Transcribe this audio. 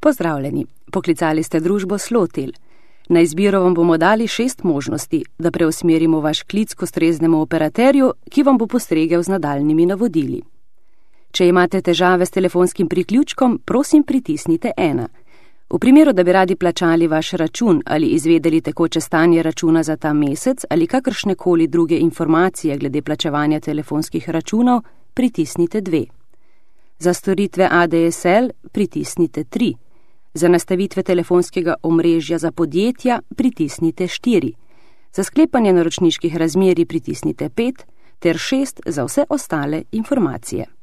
Pozdravljeni, poklicali ste družbo Slotel. Na izbiro vam bomo dali 6 možnosti, da preusmerimo vaš klic k ustreznemu operaterju, ki vam bo postregel z nadaljnimi navodili. Če imate težave s telefonskim priključkom, prosim pritisnite 1. V primeru, da bi radi plačali vaš račun ali izvedeli tekoče stanje računa za ta mesec ali kakršnekoli druge informacije glede plačevanja telefonskih računov, pritisnite 2. Za storitve ADSL pritisnite 3. Za nastavitve telefonskega omrežja za podjetja pritisnite 4. Za sklepanje naročniških razmerij pritisnite 5 ter 6 za vse ostale informacije.